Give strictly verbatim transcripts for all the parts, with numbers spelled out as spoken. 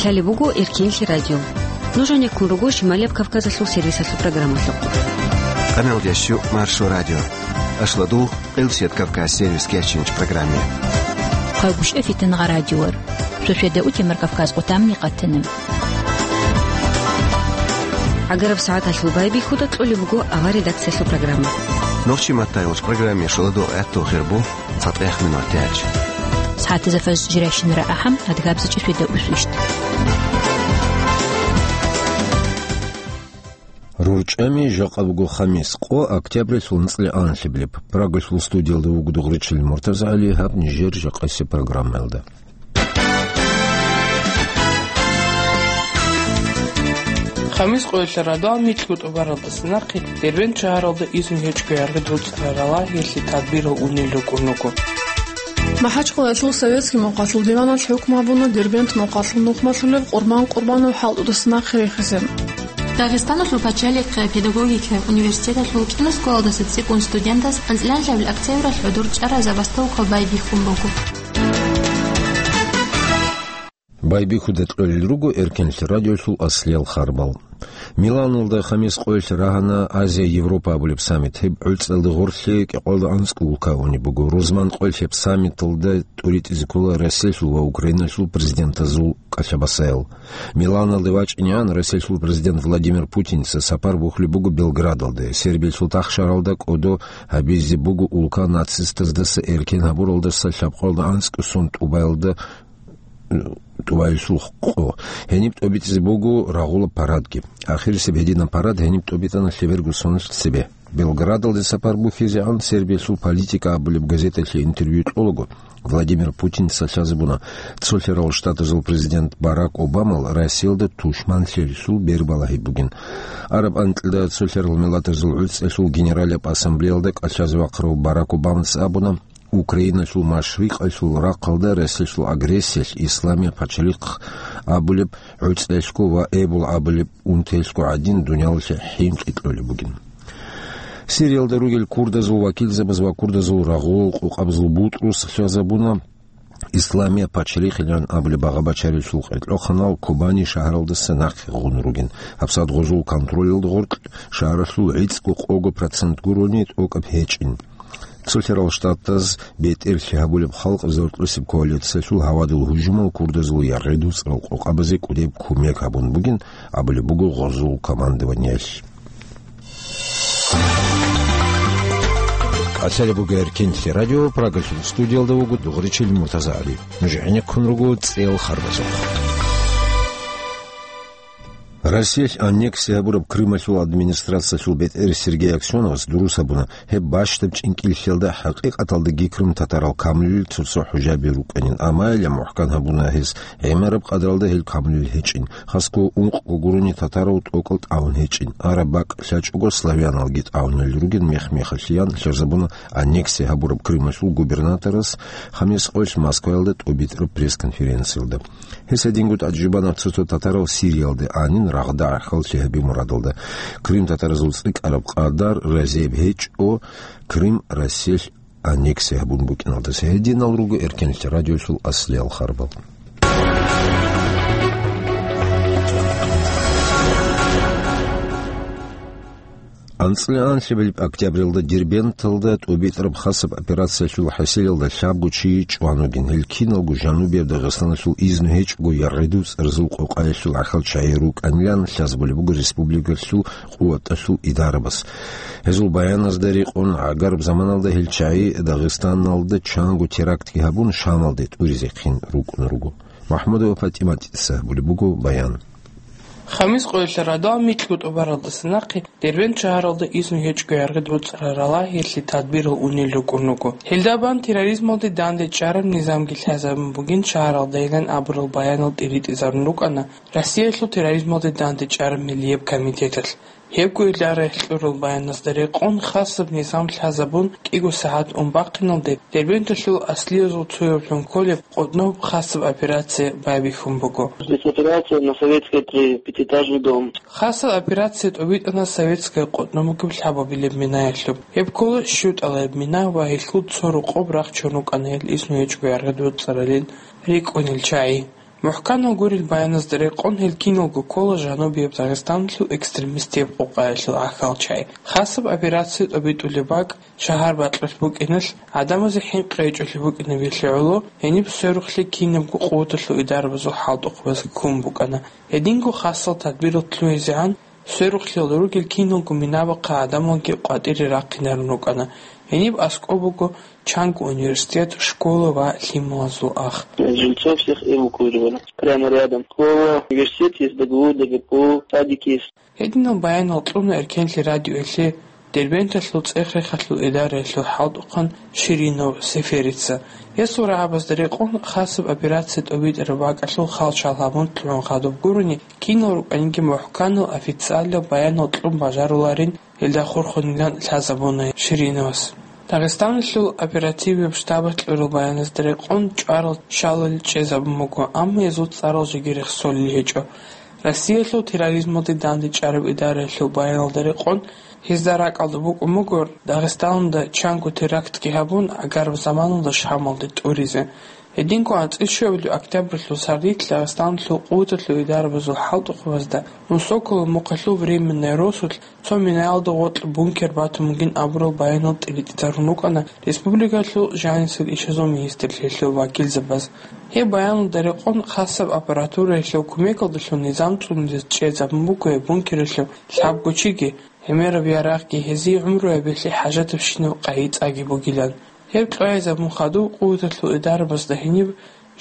Лъалеб буго Эркенлъи радио. Нуж гьанеккун руго Шималияб Кавказалъул сервисалъул программалъухъ. Къамел ящу Маршо радио. Ашладул, Къилсият Кавказ сервис кечинч программе. Хъайгушев Фитнагъа радиор. Суседа утемар Кавказ къутамни къатана. ГӀагараб сагӀаталъул байбихьуда кьолеб буго авар редакциялъул программа. Нохчи маттайолч программе шоладо гӀатту хирбу. ЦатӀехъ минутач. СагӀатазда фаз жирайщинара ахӀам, адгабзачӀи светда усвищт. РорчӀами жакъа буго хамис, къо октябрилъул анцӀила анлъабилеб. Прагалъул студиялда вуго Дугъричил МуртазагӀали, гьаб нижер жакъасеб программаялда. Хамис къоялъ радал микьго тӀубаралдаса нахъе Дербент шагьаралда изну гьечӀго яргъи доцӀарарала гьелъи тадбирал унел рукӀун руго. МахӀачхъалаялъул советский мукъалъул диваналъ хӀукму гьабуна Дербент мукъалъул нухмалъулев Къурбан Къурбанов хӀалтӀудаса нахъе рехизе. Дагъистаналъул пачалихъ педагогикаялъул университеталъул кӀиго школалдаса цӀикӀкӀун студентаз анцӀила анлъабилеб октябралъ гӀодор чӀараб забастовка байбихьун буго. Байбихьуда кьолел руго Эркенлъи радиолъул аслиял харбал. Миланалда хамис къоялъ рагьана Азия-Европа абулеб саммит. Гьеб гӀуцӀалда гъорлъе кӀикъоялда анцӀго улка унеб буго. Рузман къоялъ гьеб саммиталда тӀуритӀизе ккола Россиялъул ва Украиналъул президентазул кӀалъабасаял. Миланалде вачӀинегӀан Россиялъул президент Владимир Путинца сапар бухьулеб буго Белградалде. Сербиялъул тахшаралда кӀодо гьабизе буго улка нацистаздаса эркен гьабуралдаса лъабкъоялда анцӀго сон тӀубаялда, тӀубаялъул къо. Гьениб тӀобитӀизе буго рагъулаб парадги. Ахирисеб гьединаб парад гьениб тӀобитӀана лъеберго соналъ цебе. Белградалде сапар бухьизегӀан Сербиялъул Политика абулеб газеталъе интервью кьолаго, Владимир Путинца лъазабуна, Цолъарал Штатазул президент Барак Обамал Россиялда тушманлъиялъул бер балагьи бугин. Араб анкьида Цолъарал Миллатазул ГӀуцӀиялъул Генералияб Ассамблеялда кӀалъазе вахъарав Барак Обамаца абуна, Украиналъул машрикъалъул рахъалда Россиялъул агрессиялъ Исламияб пачалихъ абулеб гӀуцӀиялъго ва Эбул абулеб унтиялъго гӀадин дуниялалъе хӀинкъи кьолеб бугин. Сириялда ругел курдазул вакилзабаз ва курдазул рагъул къокъабазул бутӀрус лъазабуна, Исламияб пачалихъилан абулеб багъа-бачарилъул къеркьохъанал Кобани шагьаралдаса нахъе гъун ругин. ГьабсагӀат гъозул контролалда гъоркь шагьаралъул гӀицӀго-къого процент гурони тӀокӀаб гьечӀин. Цолъарал Штатаз бетӀерлъи гьабулеб халкъ заркьусеб коалициялъул гьавадул гьужумал курдазул яргъи доцӀарал къокъабазе кӀудияб кумек гьабун бугин абулеб буго гъозул командованиялъ. КӀалъалеб буго Эркенлъи радио, Прагалъул студиялда вуго Дугъричил МуртазагӀали. Нуж гӀенеккун руго цӀел харбазухъ. Россиялъ аннексия гьабураб Крымалъул администрациялъул бетӀер Сергей Аксеновас дурус гьабуна, гьеб бащдаб чӀинкӀиллъиялда хӀакъикъаталдаги крым-татарал камлуйил цо-цо хӀужаби рукӀанин, амма гьеле мухӀкан гьабуна гьес, гӀемераб къадралда гьел камлуйил гьечӀин, хасго ункъго гурони татарав тӀокӀал тӀагӀун гьечӀин, араб бакӀ лъачӀого славяналги тӀагӀунел ругин мех-мехалъ ян лъазабуна аннексия гьабураб Крымалъул губернаторас хамис къоялъ Москваялда тӀобитӀараб пресс-конференциялда. Гьес гьединго тӀаде жубана цо-цо татарал Сириялде анин рагъда гӀахьаллъи гьаби мурадалда. Крым татаразул цӀикӀкӀараб къадар разияб гьечӀо Крым Россиялъ аннексия гьабун букӀиналдаса. Гьединал руго Эркенлъи радиолъул аслиял харбал. АнцӀила анлъабилеб октябралда Дербенталда тӀубитӀараб хасаб операциялъул хӀасилалда лъабго чи чӀван вугин. Гьел киналго Жанубияб Дагъистаналъул изну гьечӀого яргъидуцӀарзул къокъаялъул гӀахьал чагӀи рукӀанилан лъазабулеб буго республикалъул къуваталъул идарабаз. Гьезул баяназда рекъон, гӀагараб заманалда гьел чагӀи Дагъистаналда чанго терактги гьабун, Шамалде тӀуризехъин рукӀун руго. МахӀмудова ПатӀимат гьабулеб буго баян. Хамис къоялъ радал микьго тӀубаралдаса нахъе Дербент шагьаралда изну гьечӀго яргъи доцӀарарала гьелъи тадбирал унел рукӀун руго. Гьелда бан терроризмалде дандечӀараб низамги лъазабун бугин шагьаралдайилан абурал баянал тӀиритӀизарун рукӀана Россиялъул терроризмалде дандечӀараб миллияб комитеталъ. Гьебго гьелда рехь кьурал баяназда рекъон, хасаб низам лъазабун кӀиго сагӀат ун бахъиналде, Дербенталъул аслиязул цояблъун кколеб къотӀноб хасаб операция байбихьун буго. Спецоперация на советский три, пятиэтажный дом. Хасаб операция тӀубитӀана советская къотӀноб бугеб лъабабилеб минаялъуб. Гьеб ккола щутӀалаяб мина ва гьелъул цо рокъоб рахчун рукӀана гьел изну гьечӀго яргъи доцӀаралин рикӀкӀунел чагӀи. МухӀканал гурел баяназда рекъон гьел киналго ккола жанубияб Дагъистаналъул экстремистияб къокъаялъул гӀахьалчагӀи. Хасаб операция тӀобитӀулеб бакӀ, шагьар бакьулъ букӀиналъ, гӀадамазе хӀинкъи гьечӀолъи букӀинаб гьелъие гӀоло, гьениб сверухълъи кинабго къуваталъул идарабазул хӀалтӀухъабаз ккун букӀана. Гьединго хасал тадбирал лъугӀизегӀан, сверухълъиялда ругел киналго минабахъа гӀадамалги къватӀире рахъинарун рукӀана. Гьениб аскӀоб буго чанго университет, школа ва лъималазул ах. Жильцов всех эвакуировали. Прямо рядом. Школа, университет есть, Д Г У, Д Г П У, садик есть. Гьединал баянал кьуна Эркенлъи радиоялъе Дербенталъул цӀех-рехалъул идараялъул хӀалтӀухъан Ширинов Сеферица. Гьесул рагӀабазда рекъон хасаб операция тӀобитӀараб бакӀалъул хал-шал гьабун лъугӀун хадуб гурони, кинал рукӀаниги мухӀканал официалаб баянал кьун бажаруларин гьелда хурхунилан лъазабуна Шириновас. Дагъистаналъул оперативияб штабалъ кьурал баяназда рекъон чӀварал шалал чӀезабун буго, амма гьезул цӀарал жеги рехсолел гьечӀо. Россиялъул терроризмалде дандечӀараб идараялъул баяналда рекъон, гьезда ракӀалда букӀун буго Дагъистаналда чанго терактги гьабун, гӀагараб заманалда Шамалде тӀуризе. Гьединго анцӀил щуабилеб октябралъул сардилъ Дагъистаналъул къуваталъул идарабазул хӀалтӀухъабазда Унсоколо мухъалъул временный росулъ цо минаялда гъоркь бункер батун бугин абурал баянал тӀибитӀизарун рукӀана республикалъул жанисел ишазул министрлъиялъул вакилзабаз. Гьеб баяналда рекъон хасаб аппаратураялъул кумекалдалъун низам цӀунулез чӀезабун буго гьеб бункералъул лъабго чиги, гӀемераб ярагъги гьезие гӀумруябилъи хӀажатабщинаб къайи-цӀаги бугилан. Гьеб кьвагӀизабун хадуб къуваталъул идарабазда гьениб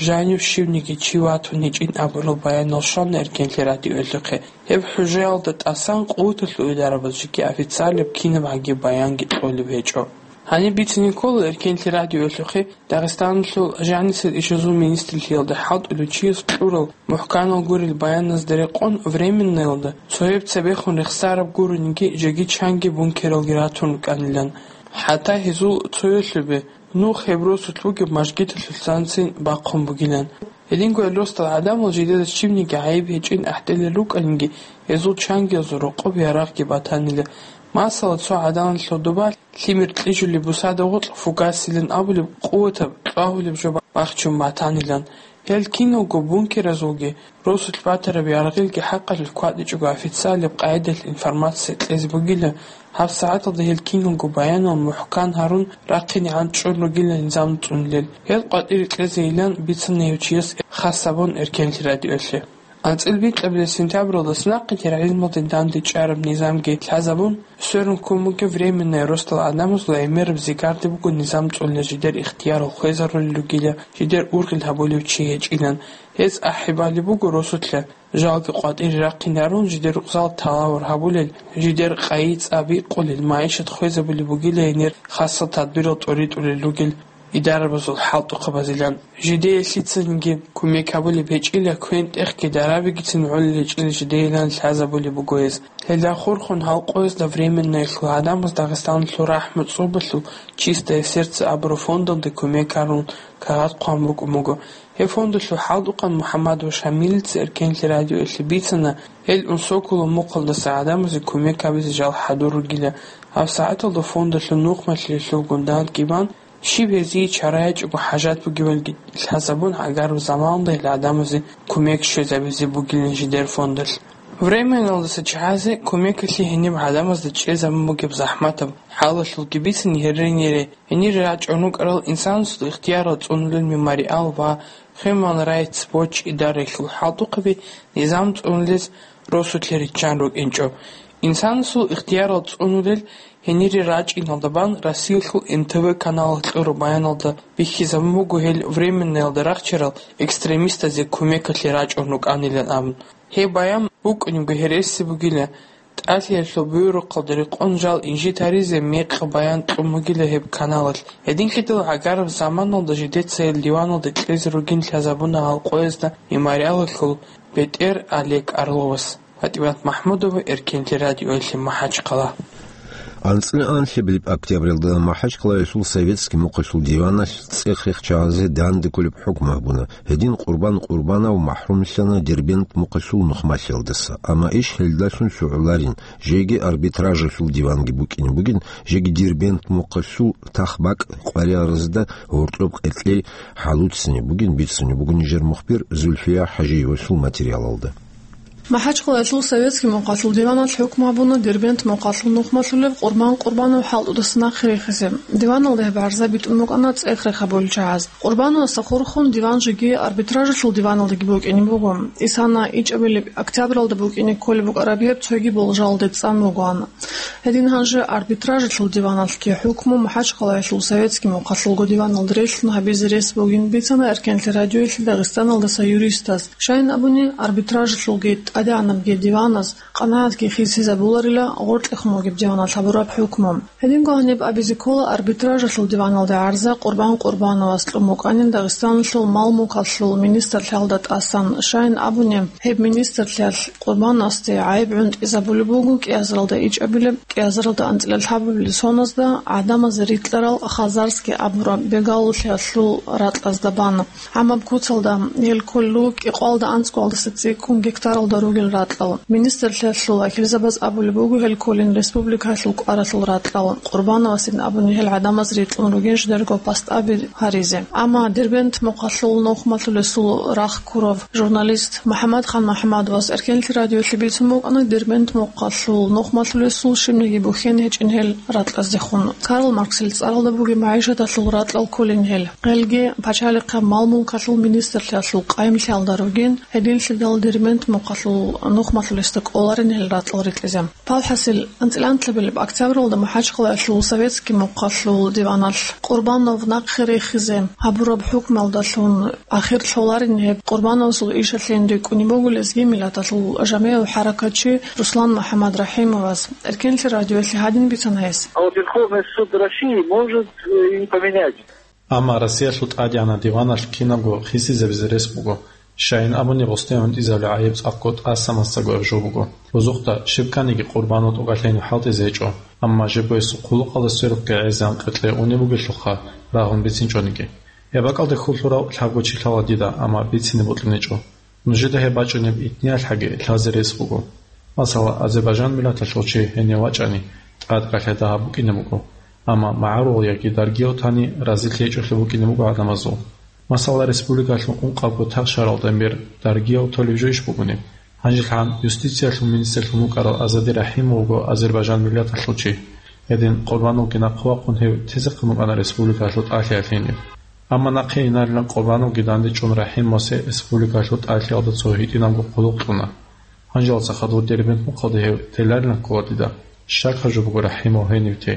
жанив щивниги чи ватун гьечӀин абурал баянал щвана Эркенлъи радиоялъухъе. Гьеб хӀужаялда тӀасан къуваталъул идарабаз жеги официалаб кинаб гӀаги баянги кьолеб гьечӀо. Гьаниб бицине ккола Эркенлъи радиоялъухъе Дагъистаналъул жанисел ишазул министрлъиялда хӀалтӀулев чияс кьурал мухӀканал гурел баяназда рекъон временнаялда цояб цебехун рехсараб гурониги жеги чанги бункералги ратун рукӀанилан. ХӀатта гьезул цоялъубе нух гьеб росулъ бугеб мажгиталъулъанцин бахъун бугилан. Гьединго гьел росдал гӀадамал жидеда щибниги гӀайиб гьечӀин ахӀделел рукӀаниги, гьезул чангиязул рокъоб ярагъги батанила. Масала, цо гӀаданалъул доба лъимер кьижулеб бусада гъоркь фугасилан абулеб къуватаб кьвагьулеб жо бахчун батанилан. Гьел киналго бункеразулги росулъ батараб яргъилги хӀакъалъулъ кватӀичӀого официалаб къайдалъ информация кьезе бугила, гьабсагӀаталда гьел киналго баянал мухӀкан гьарун рахъинегӀан чӀун ругила низам цӀунулел. Гьел къватӀире кьезейилан бицана гьев чияс хас гьабун Эркенлъи радиоялъе. АнцӀил бикьабилеб сентябралдаса нахъе терроризмалде дандечӀараб низамги лъазабун, сверун ккун бугеб временный росдал гӀадамазул гӀемераб зигарде буго низам цӀунулел жидер ихтиярал хвезарулел ругила, жидер ургъел гьабулев чи гьечӀилан. Гьез ахӀи балеб буго росулъа, жалги къватӀире рахъинарун, жидер рукъзал талавар гьабулел, жидер къайи-цӀа бикъулел, магӀишат хвезабулеб бугила гьенир хасал тадбирал тӀоритӀулел ругел идарабазул хӀалтӀухъабазилан. Жидее лъицаниги кумек гьабулеб гьечӀила, квен-тӀехги дарабигицин гӀолел гьечӀила жидейилан лъазабулеб буго гьез. Гьелда хурхун гьал къоязда временноялъул гӀадамаз Дагъистаналъул РахӀмат цӀобалъул «Чистое сердце» абураб фондалде кумек гьарун кагъат хъван букӀун буго. Гьеб фондалъул хӀалтӀухъан МухӀаммадов Шамилица Эркенлъи радиоялъе бицана, гьел Унсоколо мухъалдаса гӀадамазе кумек гьабизе жал хӀадур ругила. ГьабсагӀаталда фондалъул нухмалъиялъулгун дандги бан, щиб гьезие чара гьечӀого хӀажат бугебалги лъазабун, гӀагараб заманалда гьел гӀадамазе кумек щвезабизе бугилан жидер фондалъ. Временналдаса чагӀазе кумекалъе гьениб гӀадамазда чӀезабун бугеб захӀматаб хӀалалъулги бицани, гьеренире гьенире рачӀун рукӀарал инсанасул ихтиярал цӀунулел «Мемориал» ва «Human Rights Watch» идараялъул хӀалтӀухъаби низам цӀунулез росулъе риччан рукӀинчӀо. Инсанасул ихтиярал цӀунулел гьенире рачӀиналда бан Россиялъул Н Т В каналалъ кьураб баяналда бихьизабун буго гьел временнаялда рахчарал экстремистазе кумекалъе рачӀун рукӀанилан абун. Гьеб баян букӀунебго гьереси бугила, ТӀалъиялъул буюрухъалда рекъон жал инжит гьаризе мекъи баян кьун бугила гьеб каналалъ. Гьединлъидал гӀагараб заманалда жидеца гьел диваналде кьезе ругин лъазабуна гьал къоязда «Мемориалалъул» бетӀер Олег Орловас. ПатӀимат МахӀмудова, Эркенлъи радиоялъе, МахӀачхъала. АнцӀила анлъабилеб октябралда МахӀачкъалаялъул Советский мухъалъул диваналъ цӀех-рех чагӀазе данде кколеб хӀукму гьабуна. Гьедин Къурбан Къурбанов махӀрумлъана Дербент мухъалъул нухмалъиялдаса, амма иш гьелдалъун лъугӀуларин, жеги арбитражалъул диванги букӀине бугин, жеги Дербент мухъалъул тахбакӀ къваригӀарзда гьоркьоб къеркьей хӀалуццине бугин бицунеб буго нижер мухбир Зульфия ХӀажиевалъул материалалда. МахӀачкъалаялъул Советский мухъалъул диваналъ хӀукму гьабуна Дербент мухъалъул нухмалъулев Къурбан Къурбанов хӀалтӀудаса нахъе рехизе. Диваналда гьеб гӀарза битӀун букӀана цӀех-рех гьабулел чагӀаз. Къурбановасда хурхун диван жеги арбитражалъул диваналдаги букӀине буго. Исана ичӀабилеб октябралда букӀине кколеб букӀараб гьеб цоги болжалде цӀан бугоан. Гьедин гьанже арбитражалъул диваналъги хӀукму МахӀачкъалаялъул Советский мухъалъулго диваналда релълъун гьабизе рес бугин бицана Эркенлъи радиоялъе Дагъистаналдаса юристас. Щайин абуни, арбитражалъулги тӀадегӀанабги диваназ къанагӀатги хисизабуларила гъоркьехун вугеб диваналъ гьабураб хӀукму. Гьединго гьаниб абизе ккола арбитражалъул диваналда гӀарза Къурбан Къурбановас кьун букӀанин Дагъистаналъул мал-мулкалъул министрлъиялда тӀасан. Щайин абуни, гьеб министрлъиялъ Къурбановасде гӀайиб гӀунтӀизабулеб буго кӀиазаралда ичӀабилеб, кӀиазаралда анцӀила лъабабилеб соназда гӀадамазе рикьарал хазарский абураб бегалулъиялъул ракьазда бан. ГӀамаб куцалда гьел кколел руго кӀикъоялда анцӀгоялдаса цӀикӀкӀун гектаралда ругел ракьал. Министрлъиялъул вакилзабаз абулеб буго гьел кколин республикаялъул кӀваралъул ракьал. Къурбановасин абуни гьел гӀадамаз рикьун ругин жидерго пастаби гьаризе. Амма Дербент мухъалъул нухмалъулесул рахъ ккурав журналист МухӀаммадхан МухӀаммадовас Эркенлъи радиоялъе бицун букӀана Дербент мухъалъул нухмалъулесул щибниги бухьен гьечӀин гьел ракьаздехун. Карл Марксил цӀаралда бугеб магӀишаталъул ракьал кколин гьел. Гьелги пачалихъаб мал-мулкалъул министрлъиялъул къайимлъиялда ругин, гьединлъидал Дербент мухъалъул нухмалъулесда кӀоларин гьел ракьал рикьизе. Палхасил, анцӀила анлъабилеб октябралда МахӀачкъалаялъул Советский мухъалъул диваналъ Къурбанов нахъе рехизе гьабураб хӀукмалдалъун ахир лъоларин гьеб Къурбановасул ишалъейин рикӀкӀунеб буго лезги миллаталъул жамигӀав хӀаракатчи Руслан МухӀаммад РахӀимовас. Эркенлъи радиоялъе гьадин бицана гьес. А вот Верховный суд России может, э, и поменять. Амма Россиялъул ТӀадегӀанаб диваналъ кинабго хисизабизе рес буго. Щайин абуни, гъосде гӀунтӀизабулеб гӀайиб цӀакъго тӀаса-масаго гьаб жо буго. Рузухъда щиб кканиги Къурбанов тӀокӀалъейин хӀалтӀизе гьечӀо, амма жибго гьесул хъулухъалда сверухъги гӀезегӀан къеркьей унеб бугелъулха рагъун бицинчӀониги. Гьеб бакӀалде хьул лъурав лъабго чи лъала дида, амма бицине бокьунечӀо. Нужеда гьеб бачӀунеб итниялъаги лъазе рес буго. Масала, азербайжан миллаталъул чи гьенив вачӀани, тӀад кӀалъай дагьаб букӀине буго, амма магӀарул яги даргияв тани разилъи гьечӀолъи букӀине буго гӀадамазул. Масала, республикалъул ункъабго тахшаралда бер даргияв толеб жойищ бугони? Гьанжелъан юстициялъул министрлъун вукӀарав Азади РахӀимовго азербайжан миллаталъул чи. Гьедин Къурбановги нахъе вахъун гьев тезехъин букӀана республикалъул тӀалъиялъ гьенив. Амма нахъе инарилан Къурбановги дандечӀун РахӀимовасе республикалъул тӀалъиялда цо гьитӀинабго хъулухъ кьуна. Гьанжелалца хадур Дербент мухъалде гьев теларилан ккола дида. Щакаб жо буго РахӀимов гьенив те.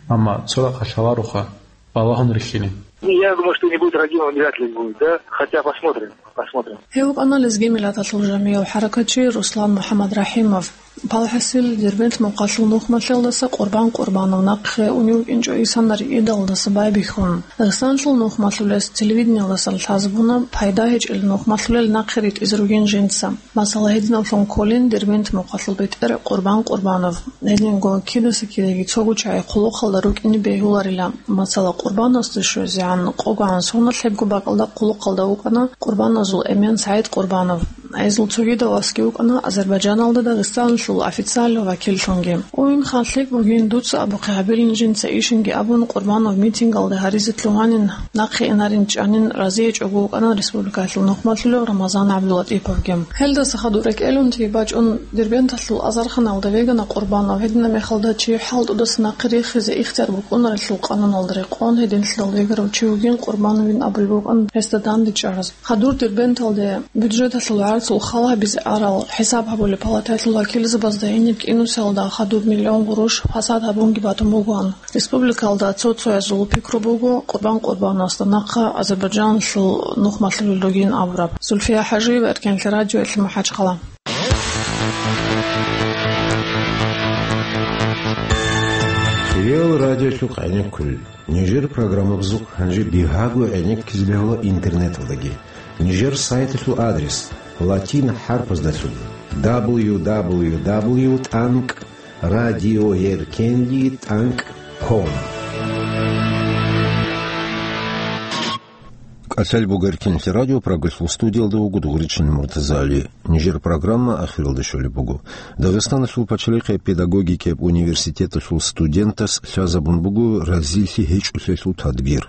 Амма цо рахъалъ гьалароха, балагьун рихьилин. Я думаю, что не будет, Рагимов вряд ли будет, да? Хотя посмотрим, посмотрим. Гьев вукӀана лезги миллаталъул жамигӀав хӀаракатчи Руслан МухӀаммад РахӀимов. Палхасил, Дербент мухъалъул нухмалъиялдаса Къурбан Къурбанов нахъе унев вукӀинчӀо исана риидалдаса байбихьун. Дагъистаналъул нухмалъулес телевидениялдасан лъазабуна, пайда гьечӀел нухмалъулел нахъе ритӀизе ругин жинца. Масала, гьединавлъун кколин Дербент мухъалъул бетӀер Къурбан Къурбанов. Гьединго кидаса кидаги цого чагӀи хъулухъалда рукӀине бегьуларила. Масала, Къурбановасда щвезегӀан къогогӀан соналъ гьебго бакӀалда хъулухъалда вукӀана Къурбановазул эмен СагӀид Къурбанов. Гьезул цогидал васги вукӀана Азербайджаналда Дагъистаналъул официальный вакиллъунги. Уинха лъикӀ бугин, дуца абухъе гьабилин жинца ишинги абун, Къурбанов митингалда гьаризе лъугьанин, нахъе инарин чӀанин разиячӀого вукӀана республикалъул нухмалъулев Рамазан ГӀабдулатӀиповги. Гьелдаса хадур рекӀелунти бачӀун Дербенталъул азарханалда вегана Къурбанов, гьединаб мехалда чи хӀалтӀудаса нахъе рихизе ихтияр букӀунарелъул къануналда рекъон гьединлъидал вегарав чи вугин Къурбановин абулеб букӀан гьесда дандечӀараз. Хадур Дербенталде бюджеталъул гӀарцул хал гьабизе арал хӀисаб гьабулеб палатаялъул вакилзабазда гьениб кӀинусиялда хадуб миллион гъурущ фасад гьабунги батун бугоан. Республикалда цо-цоязул пикру буго Къурбан Къурбановасда нахъа Азербайджаналъул нухмалъулел ругин абураб. Зульфия ХӀажиева, Эркенлъи радиоялъе, МахӀачхъала. Реал радиолъухъ гӀенеккулел. Нижер программабазухъ гьанже бигьаго гӀенеккизе бегьула интернеталдаги. Нижер сайталъул адрес латин хӀарпаздалъун: дабл ю дабл ю дабл ю тӀанкӀ Радиоеркенлъи тӀанкӀ ком. КӀалъал буго Эркенлъи радио, Прагалъул студиялда вуго Дугъричин Муртазали. Нижер программа ахиралде щолеб буго. Дагъистаналъул пачалихъе педагогикияб университеталъул студентас лъазабун буго разилъи гьечӀолъиялъул тадбир.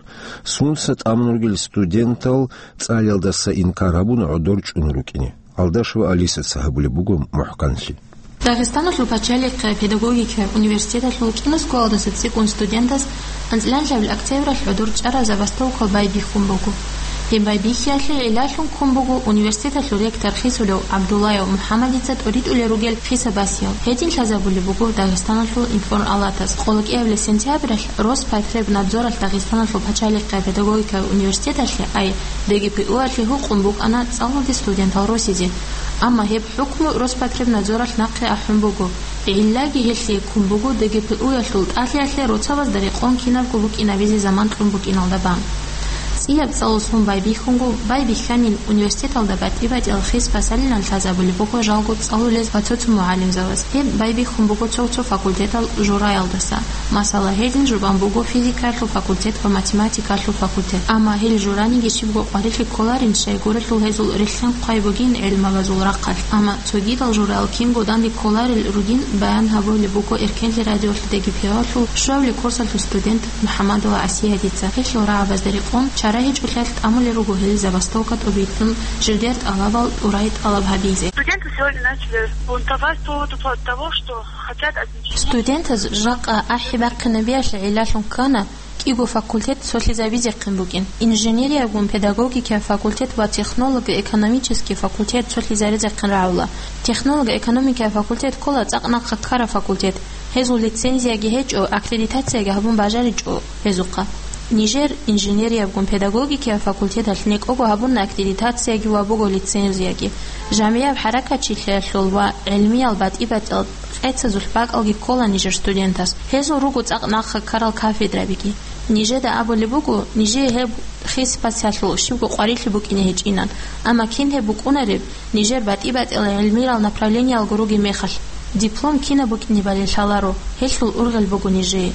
Сунса тӀамун ругел студентал цӀалиялдаса инкар гьабун гӀодор чӀун рукӀине. Алдашева Алисаца гьабулеб буго мухӀканлъи. Дагъистаналъул пачалихъе педагогикаяб университеталъул кӀиго школалдаса цӀикӀкӀун студентас анцӀила октябралъ гӀодор чӀараб забастовка байбихьун буго. Гьеб байбихьиялъе гӀиллалъун ккун буго университеталъул ректор хисулев ГӀабдуллаев МухӀаммадица тӀоритӀулел ругел хисаб-басиял. Гьедин лъазабулеб буго Дагъистаналъул информалатас. Къоло кӀиабилеб сентябралъ Роспотребнадзоралъ Дагъистаналъул пачалихъе педагогикаяб университеталъе, ай, ДГПУ-алъе гьукъун букӀана цӀалулде студентал росизе. Амма гьеб хӀукму Роспотребнадзоралъ нахъе ахӀун буго. ГӀиллаги гьелъие ккун буго ДГПУ-ялъул тӀалъиялъе роцабазда рекъон кинабго букӀинабизе заман кьун букӀиналда бан. ЦӀияб цӀалулъун байбихьунго байбихьанин университеталда батӀи-батӀиял хис босанилан лъазабулеб буго жалго цӀалулез ва цо-цо мугӀалимзабаз. Гьеб байбихьун буго цо-цо факультетал жураялдаса. Масала, гьедин жубан буго физикаялъул факультет ва математикаялъул факультет. Амма гьел жураниги щибго къварилъи кколарин, щайгурелъул гьезул рилълъин хъвай бугин гӀелмабазул рахъалъ. Амма цогидал жураял кинго данде кколарел ругин баян гьабулеб буго Эркенлъи радиолъ ДГПУ-алъул щуабилеб курсалъул студент МухӀаммадова Асиятица. Гьелъул рагӀабазда рекъон чара гьечӀолъиялъ тӀамулел руго гьел забастовка тӀобитӀун, жидер тӀалабал тӀурай тӀалаб гьабизе. Студенты сегодня начали бунтовать по поводу того, что хотят отмечать. Студентаз жакъа ахӀи бахъинабиялъе гӀиллалъун ккана кӀиго факультет цолъизабизехъин букӀин. Инженериябгун педагогикаяб факультет ва технолого-экономический факультет цолъизаризехъин рагӀула. Технолого-экономикаяб факультет ккола цӀакъ нахъа ккараб факультет. Гьезул лицензияги гьечӀо, аккредитацияги гьабун бажаричӀо гьезухъа. Нижер инженериябгун педагогикаяб факультеталъ некӀого гьабуна аккредитацияги ва буго лицензияги. ЖамигӀаб хӀаракатчилъиялъул ва гӀилмиял батӀи-батӀиял къецазулъ бакӀалги ккола нижер студентас. Гьезул руго цӀакъ нахъа ккарал кафедрабиги. Нижеда абулеб буго, нижее гьеб хис-басиялъул щибго къварилъи букӀине гьечӀинан, амма кин гьеб букӀунареб, нижер батӀи-батӀиял гӀилмиял направлениялго ругеб мехалъ, диплом кинаб букӀинебали лъаларо, гьелъул ургъел буго нижее.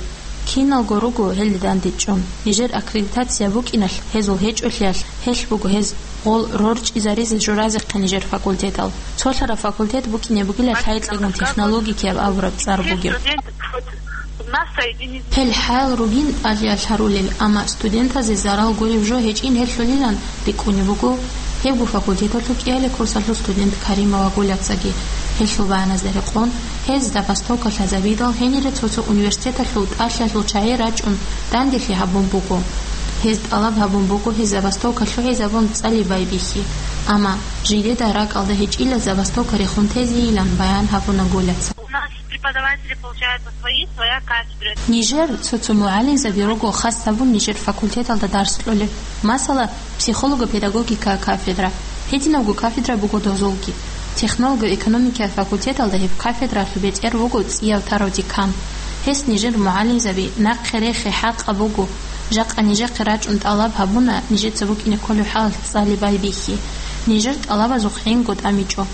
Киналго руго гьелде дандечӀун, нижер аккредитация букӀиналъ гьезул гьечӀолъиялъ, гьелъ буго гьез гъол рорчӀизаризе журазехъе нижер факультетал. Цолъараб факультет букӀине бугила лъайкьегун технологикияб абураб цӀар бугеб. Гьел хӀаял ругин тӀалъиялъ гьарулел, амма студентазе зарал гуреб жо гьечӀин гьелъулилан рикӀкӀунеб буго гьебго факультеталъул кӀиабилеб курсалъул студент Каримова Гуляцаги. Гьелъул баяназда рекъон, гьез забастовка лъазабидал гьенире цо-цо университеталъул тӀалъиялъул чагӀи рачӀун данделъи гьабун буго. Гьез тӀалаб гьабун буго гьез забастовка лъугӀизабун цӀали байбихьи, амма жидеда ракӀалда гьечӀила забастовка рехун тезейилан баян гьабуна Гуляца. У нас преподаватели получают по своей, своя кафедра. Нижер цо-цо мугӀалимзаби руго хас гьабун нижер факультеталда дарс кьолеб. Масала, психолого-педагогика кафедра. Гьединабго кафедра буго дозулги. Технолого-экономикаяб факультеталда гьеб кафедралъул бетӀер вуго цӀияв тарав декан. Гьес нижер мугӀалимзаби нахъе рехи хӀакъаб буго. Жакъа нижехъе рачӀун тӀалаб гьабуна нижеца букӀине кколеб хӀалалъ цӀали байбихьи. Нижер тӀалабазухъ гӀинго тӀамичӀо.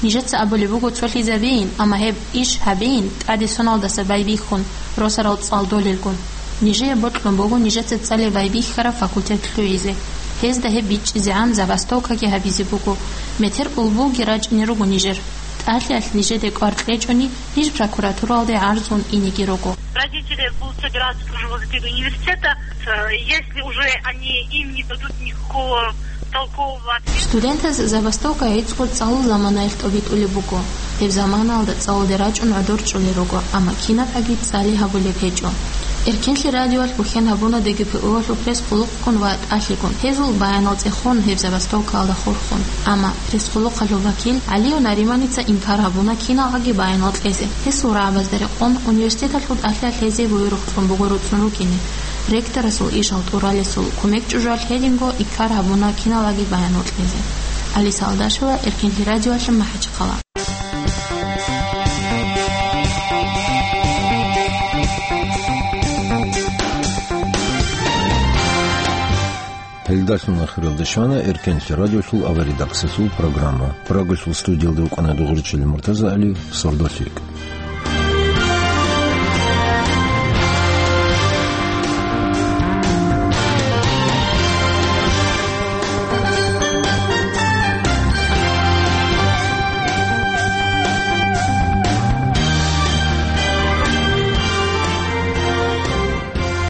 Нижеца абулеб буго цолъизабейин, амма гьеб иш гьабейин тӀаде соналдаса байбихьун, росарал цӀалдолелгун. Нижее бокьун буго нижеца цӀали байбихьараб факультет лъугӀизе. Гьезда гьеб бичӀчӀизегӀан забастовкаги гьабизе буго. Метер улбулги рачӀине руго нижер. ТӀалъиялъ нижеде кӀвар кьечӀони, ниж прокуратуралде гӀарзун инеги руго. Родители будут собираться тоже возле перед университета. Э, если уже они им не дадут никакого толкового ответа. Студентаз забастовка гӀицӀго цӀалул заманаялъ тӀобитӀулеб буго. Гьеб заманаялда цӀалулде рачӀун гӀодор чӀолел руго, амма кинабгӀаги цӀали гьабулеб гьечӀо. Эркенлъи радиоялъ бухӀен гьабуна ДГПУ-ялъул пресс-къуллукъгун ва тӀалъигун, гьезул баянал цӀехун гьеб забастовкаялда хурхун. Амма пресс-къуллукъалъул вакил ГӀалиев Нариманица инкар гьабуна киналгӀаги баянал кьезе. Гьесул рагӀабазда рекъон, университеталъул тӀалъиялъ гьезие буюрухъ цӀун буго руцӀцӀун рукӀине. Ректорасул ишал тӀуралесул кумек чӀужуялъ гьединго инкар гьабуна киналгӀаги баянал кьезе. Алиса Алдашева, Эркенлъи радиоялъ, МахӀачхъала. Гьелдалъун ахиралде щвана Эркенлъи радиолъул аваридаксалъул программа. Прагалъул студиялда вукӀана Дугъричил Муртаза Али, сордолъи.